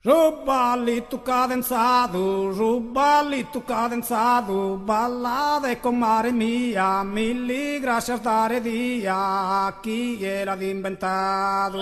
Su ballitu cadenzadu, su ballitu cadenzadu, ballade comare mia, milli grascias dare dia, chie l'at imbentadu.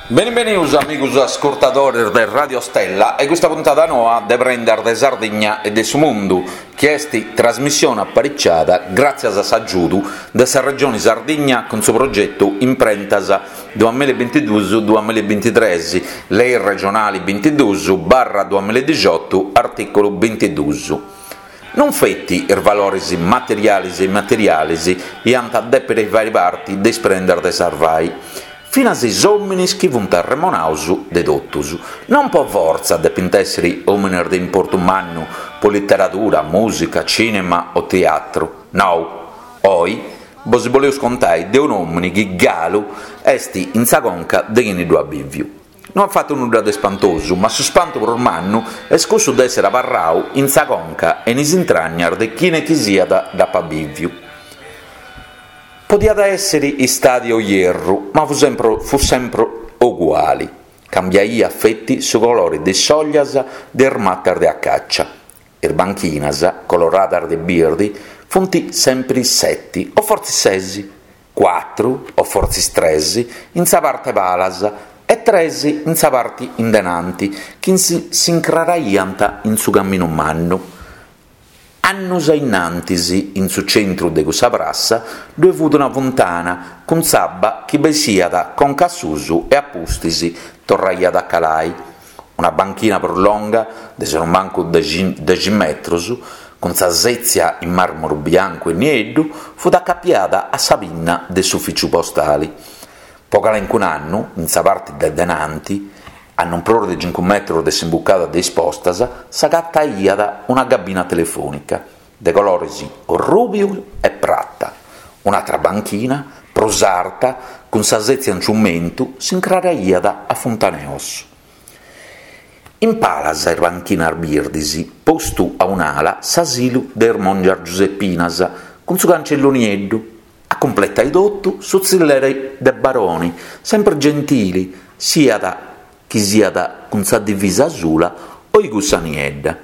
Benibenius amigus ascurtadores de Radio Stella a custa puntada noa de Prendas de Sardigna e de su Mundu, chi est trasmissione apariciada gràtzias a s'agiudu de sa Regioni Sardigna cun su progetu Imprentas duamilla e bintiduus duamilla e bintitres, Lei regionali bintiduus barra duamilla e dixiotu, artìculu bintiduus. Non feti is valores materiales e immateriales iant a dèpere fàere parti de is prendas de sarvai, finas is òmines chi funt arremonados de totus. Non po fortza depint èssere òmines de importu mannu po literadura, mùsica, cìnema o teatru. Nou. Oi Bos boleus contai de un'òmini chi galu est in sa conca de chini ddu at bìviu. No at fatu nudda de spantosu, ma su spantu prus mannu est cussu de èssere abarrau in sa conca e in is intragnas de chine chi siat dd'apat bìviu. Podiat èssere istadi o ierru, ma fut sempri fut sempri oguali. Cambiaiat feti su colore de is sollas de is matas de acacia. Is banchinas, coloradas de birdi, funt sempri seti, o fortzis ses, cuatru o fortzis tres in sa parte 'e palas e tres in sa parti in denanti, chi s'incraraiant in su caminu mannu. Annus a innantis, in su centru de cussa prassa, ddue fut una funtana cun s'abba chi bessiat conca a susu e a pustis torraiat a calai. Una banchina prus longa, de sonumancu dexi metrus, cun sa sètzia in màrmuru biancu e nieddu, fut acapiada a sa pinna de s'ufìciu postali. Po calencun'annu, in sa parti de denanti, a non prus de cincu metrus de s'imbucada de is postas, s'agataiat una gabina telefònica, de colores rùbiu e prata. Un'atra banchina, prus arta, cun sa sètzia in ciumentu, s'incraraiat a Funtaneossu. In palas is banchinas birdis, postu a un'ala s'asilu de is mòngias giusepinas, cun su cancellu nieddu. A cumpletai totu, su tzilleri de Baroni, sempri gentili, siat chi siat cun sa divisa asula o i cussa niedda.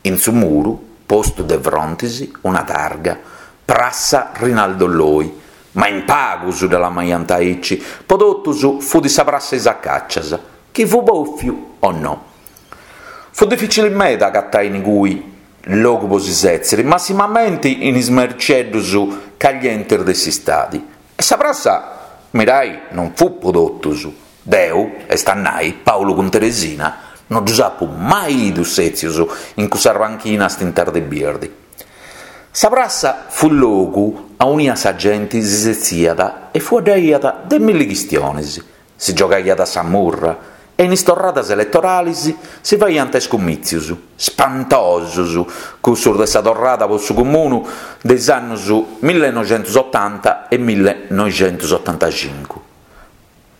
In su muru, postu de frontis, una targa, Prassa Rinaldo Loi. Ma in pagus dda lamaiant aici, po totus fut sa prassa 'e is acacias, chi fut bòfiu o no. Fut dificili meda agatai inigui logu po si sètziri, massimamenti in is mericeddus caglientis de s'istadi. E sa prassa, mirai, non fut po totus, Deu, est a nai Paulu cun Teresina, no ddus apu mai 'idu sètzius in cussas banchinas tintas de birdi. Sa prassa fut logu aunia sa genti si setziat e fueddaiat de milli chistionis, si giogaiat a sa murra e in is torradas eletoralis si faiant is cumìtzius, spantosus cussus de sa torrada po su cumunu de is annus millenoixentusotanta e millenoixentusotantacincu.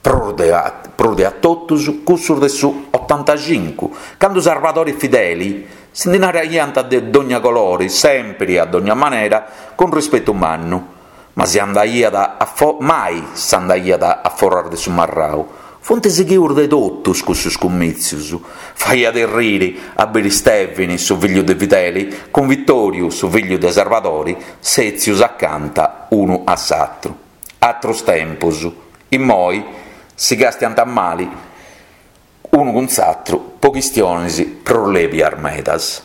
Prus de prus de a totus cussus de su otantacincu, candu Sarvadori e Fideli si ndi naraiant de dogna colori, sempri a dogna manera, cun rispetu mannu, ma si andaiat a fo mai s'andaiat a foras de su marrau. Funt sighius de totus cussus cumìtzius. Faiat erriri a biri Stèvini, su figliu de Fideli, cun Vitòriu, su figliu de Sarvadori, sètzius acanta unu a s'atru. Atrus tempus. Immoi si castiant mali unu cun s'atru po chistionis prus lèbias medas.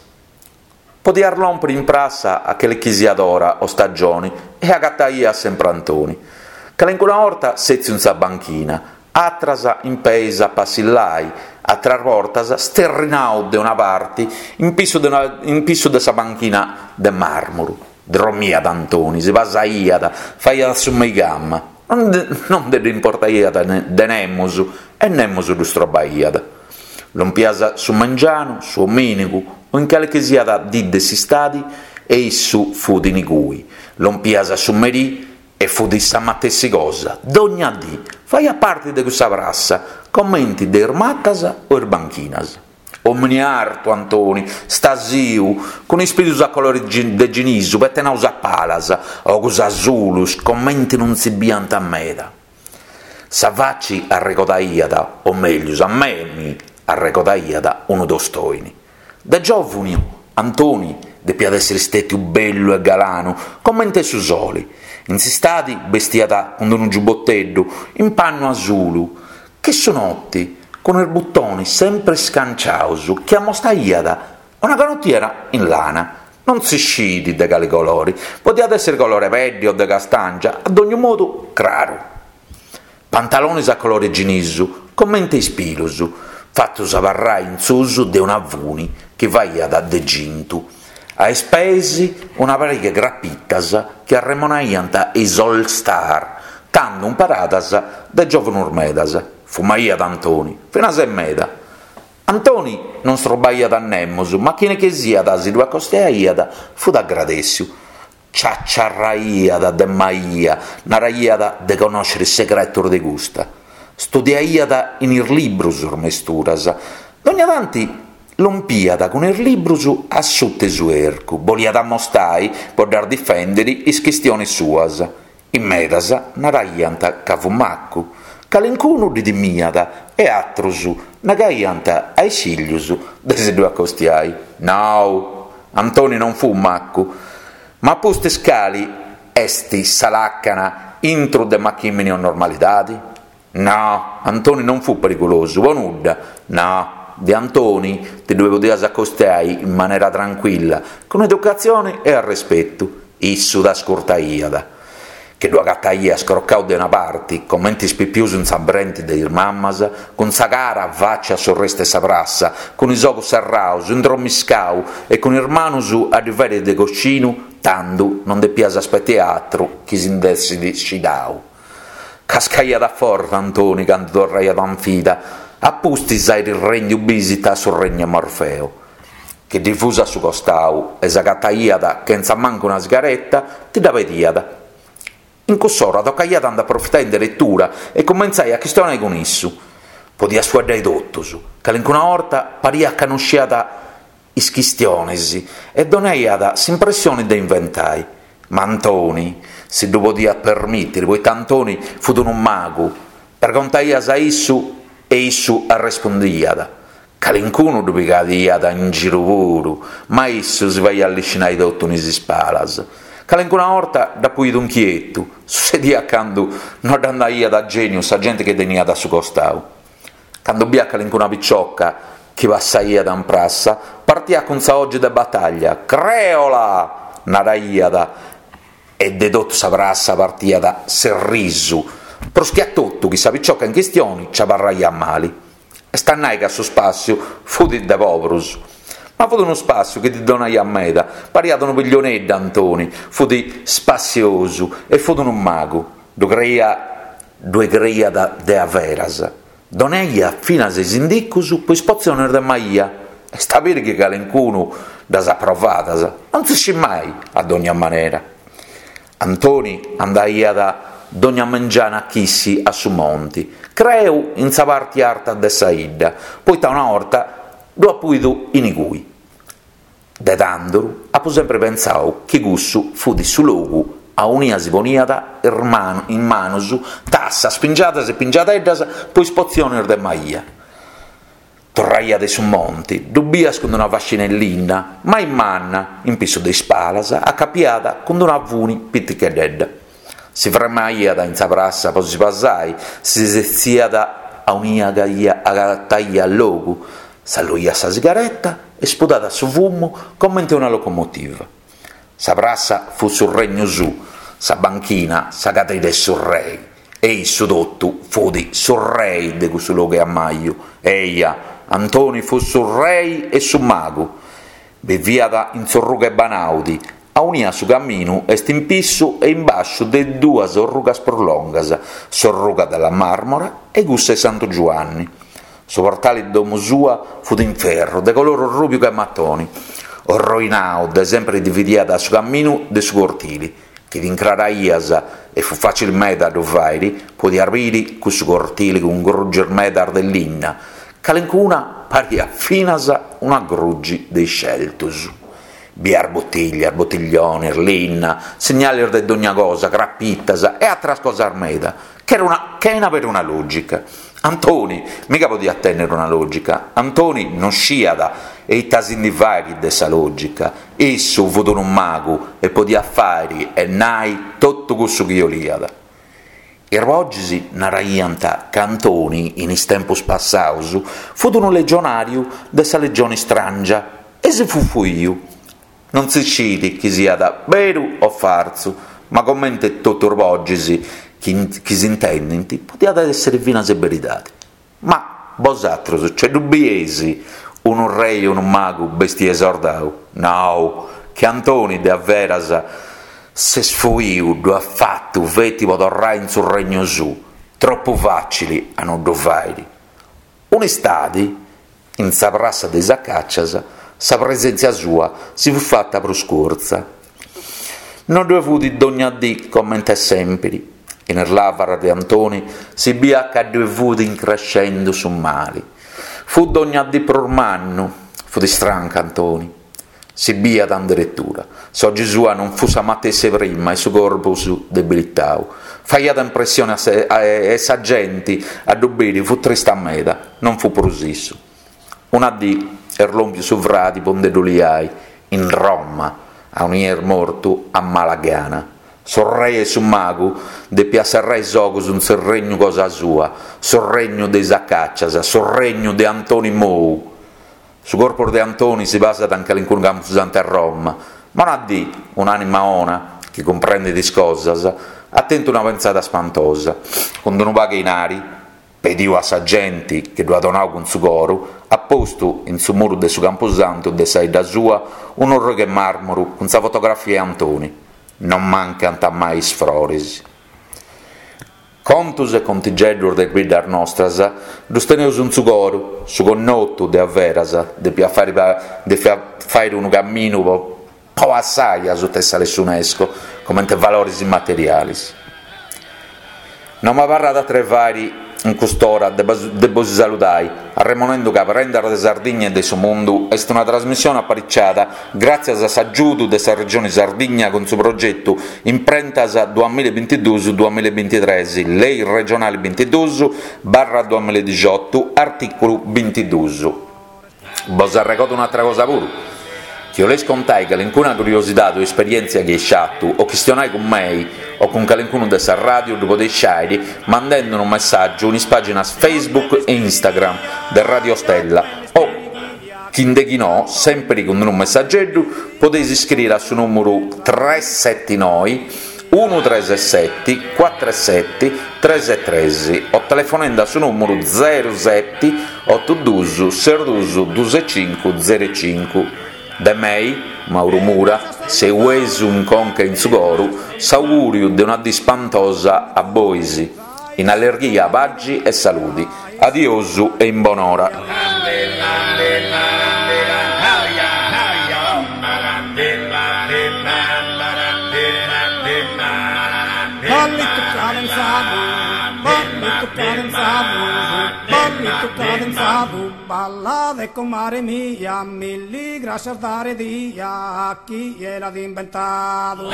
Podias lòmpiri in prassa a calichisiat ora o stagioni e agataias sempri Antoni. Calincuna 'orta sètziu in sa banchina, atras in peis a passillai, atras bortas sterrinau de una parti in pissu de una in pissu de sa banchina de màrmuru. Dromiat Antoni, si pasaiat, faiat su meigama, non nde dd'importaiat de nemus e nemus ddu strobaiat. Lompias su mengianu, su omìnigu o in calichisiat dì de s'istadi e issu fut inigui. Lompias su merì e fut sa matessi cosa, dogna dì, faiat parti de cussa prassa, comenti de is matas o is banchinas. Omini artu, Antoni, stasiu, cun is pilus a colori de ginisu petenaus a palas, ogus asulus comenti non si biant meda. Sa faci arregodaiat, o meglius a mei arregodaiat, unu tostoini. De giòvunu, Antoni depiat èssiri stètiu bellu e galanu comente su soli. In s'istadi bestiat cun unu giuboteddu in pannu asulu, che su noti, cun is butonis sempri scanciaus chi amostaiat una canotiera in lana. Non si scit de cali colori, podiat èssiri colore peddi o de castàngia, a dognu modu craru. Pantalonis a colore ginisu, comente is pilus, fatus abarrai in susu de una funi chi faiat de cintu. A is peis una pariga 'e crapitas chi arremonaiant is All Star, tandu imparadas de giòvunus medas. Fumaiat Antoni, finas e meda. Antoni non strobaiat a nemus, ma chine chi siat si ddu acostiaiat fut agradèssiu. Ciaciarraiat de maia, naraiat de connòscere is segretos de custa. Studiaiat in is librus is mesturas. Dogna tanti lompiat cun is librus a suta 'e su 'ercu, boliat amostai po ddas difèndere is chistiones suas. In medas naraiant ca fut macu, calincunu ddi timiat e atrus negaiant a is fillus de si ddu acostiai. Nou, Antoni non fut macu, ma pustis cali est sa làcana intru de machìmini o normalidadi? No, Antoni non fut perigulosu po nudda, no, de Antoni ti ddue podias acostiai in manera trancuilla, cun educatzioni e arrespetu, issu t'ascurtaiat. Chi ddu agataias crocau de una parti, comente is pipius in sa brenti de is mammas, cun sa cara faci a s'orrestu 'e sa prassa, cun is ogus serraus, indromiscau e cun is manus a ddi fàiri de coscinu, tandu non depias aspetai atru chi si nd'essit scidau. Cascaiat a forte Antoni candu torraiat in vida, a pustis àiri rèndiu bìsita a su regnu 'e Morfeo. Chi ddi fus a su costau e s'agataiat chentza mancu una sigareta, ti dda pediat. In cuss'ora tocaiat a nd'aprofitai in deretura e cumentzai a chistionai cun issu. Podiat fueddai totus, calincuna 'orta pariat ca no sciat is chistionis e donaiat s'impressioni de inventai. Ma Antoni si ddu podiat permìtiri, poita Antoni fut unu magu. Pregontaias a issu e issu arrespundiat. Calincunu ddu pigaiat in giru puru, ma issu si faiat liscinai totu in is spalas. Calincuna 'orta dd'apu 'idu inchietu, sussediat candu no dd'andaiat a gèniu sa genti chi teniat a su costau. Candu biat calincuna picioca chi passaiat in prassa, partiat cun sa 'ogi de bataglia, Creola! naraiat e de totu sa prassa partiat s'errisu, prus chi a totu chi sa picioca in chistioni nci abarraiat mali. Est a nai ca su spàssiu fut de poburus. Ma fut unu spàssiu chi ddi donaiat meda, pariat unu pilloneddu Antoni, fut spassiosu e fut unu magu, ddu creiat Ddue creiat de averas. Donaiat finas is indicus po is potzionis de maia. Est a biri chi calincunu ddas at provadas, non si scit mai, a dogna manera. Antoni andaiat dogna mengianu a chissi a su monti, creu in sa parti arta de sa 'idda, poita una 'orta ddu apu 'idu inigui. De tanduru apu sempri pentzau chi cussu fut su logu aunia si poniat in manus tassas, pingiadas e pingiadeddas po is potzionis de maia. Torraiat de su monti, ddu bias cun una fascina 'e linna, mai manna, in pissu de is palas, acapiada cun una funi piticheddedda. Si fremaiat in sa prassa po si pasai, si setziat aunia agataiat logu, s'alluiat sa sigareta e spudàt su fumu comente una locomotiva. Sa prassa fut su regnu suu, sa banchina sa cadrida 'e su rei, e issu totu fut su rei de cussu logu 'e ammaju. Eia, Antoni fut su rei e su magu. Biviat in s'orruga 'e Banaudi, aunia su caminu est in pissu e in basciu de is duas orrugas prus longas, s'orruga della Marmora e cussa 'e Santu Giuanni. Su portali de domu sua fut in ferru, de colori orrubiu che matoni. Orroinau, de sempri dividiat su caminu de su cortili, chi t'incraraias, e fut facili meda a ddu fairi, podias biri cussu cortili cun grugis medas de linna, calincuna pariat finas una grugi de is Celtus. Biiat butiglias, butiglionis, linna, signalis de dogna cosa, crapitas e atras cosas meda, chena peruna logica. Antoni miga podiat tennere una logica, Antoni non sciat e ita si ndi fairi de sa logica, issu fut unu magu e podiat fairi e nai totu cussu chi 'oliat. Is bogis naraiant ca Antoni in is tempus passaus fut unu legionariu de sa legioni strangia e si fut fuiu. Non si scit chi siat beru o fartzu, ma comente totu is bogis chi s'intendint podiat èssere finas beridade. Ma bosatrus ce ddu bieis unu rei e unu magu bestiu 'e sordau? Nou, chi Antoni de averas s'est fuiu ddu at fatu feti po torrai in su regnu suu, tropu facili a no ddu fairi. Un'istadi, in sa prassa de is acacias, sa presèntzia sua si fut fata prus curtza. No ddue fut dogna dì comente sèmpiri. In is lavaras de Antoni si biiat ca ddue fut increscendu su mali. Fut dogna dì prus mannu. Fut strancu Antoni. Si biiat in deretura. S'ogi sua non fut sa matessi 'e prima e su corpus debilitau. Faiat impressioni e sa genti a ddu biri fut trista meda, non fut prus issu. Una dì est lòmpiu su fradi po nde ddu liai, in Roma, aunia est mortu a mala gana. S'urrei 'e su magu depiat serrai is ogus in su regnu cosa sua, su regnu de is acacias, su regnu de Antoni Mou. Su corpus de Antoni si pasat in calincunu campusantu 'e Roma, ma una dì, un'anima 'ona, chi cumprendit is cosas, at tentu una pentzada spantosa. Cun d'unu pagu 'e inari, pediu a sa genti chi ddu at donau cun su coru, at postu in su muru de su campusantu de sa 'idda sua un'orrogu 'e màrmuru cun sa fotografia 'e Antoni. Non mancant mai is froris. Contus e contigeddus de is biddas nostras ddus teneus in su coru, su connotu de averas depiat fàiri unu caminu po passai asuta 'e sa lei 'e s'UNESCO comente valoris immaterialis. No m'abarrat atru 'e fàiri in cust'ora de bosi saludai, arremonendu ca Prendas de Sardigna e de su Mundu est una trasmissione apariciada gràtzias a s'agiudu de sa Regioni Sardigna cun su progetu Imprentas duamillabintiduus duamillabintitres, Lei regionali bintiduus barra duamilladixiotu, artìculu bintiduus. Bos arregodo un'atra cosa puru, chi 'oleis contai calincuna curiosidade o esperièntzia chi eis fatu o chistionai cun mei o cun calincunu de sa ràdiu ddu podeis fàiri mandendi unu messàgiu in is pàginas Facebook e Instagram de Radio Stella o, chi nde chi no, sèmpiri cun unu messageddu, podeis iscriri a su nùmuru tres seti noi unu tres seti cuatru seti tres tres o telefonendi a su nùmuru zeru seti otu dus ses dus dus e cincu zeru e cincu. De mei, Mauru Mura, seuesu in conca e in su coru, s'augùriu de una dì spantosa a bois, in allerghia, paxi e saludi. Adiosu e in bonora. Ballitu cadenzadu, ballitu cadenzadu, ballitu cadenzadu, ballade comare mia, milli grascias dare dia a chie l'at imbentadu.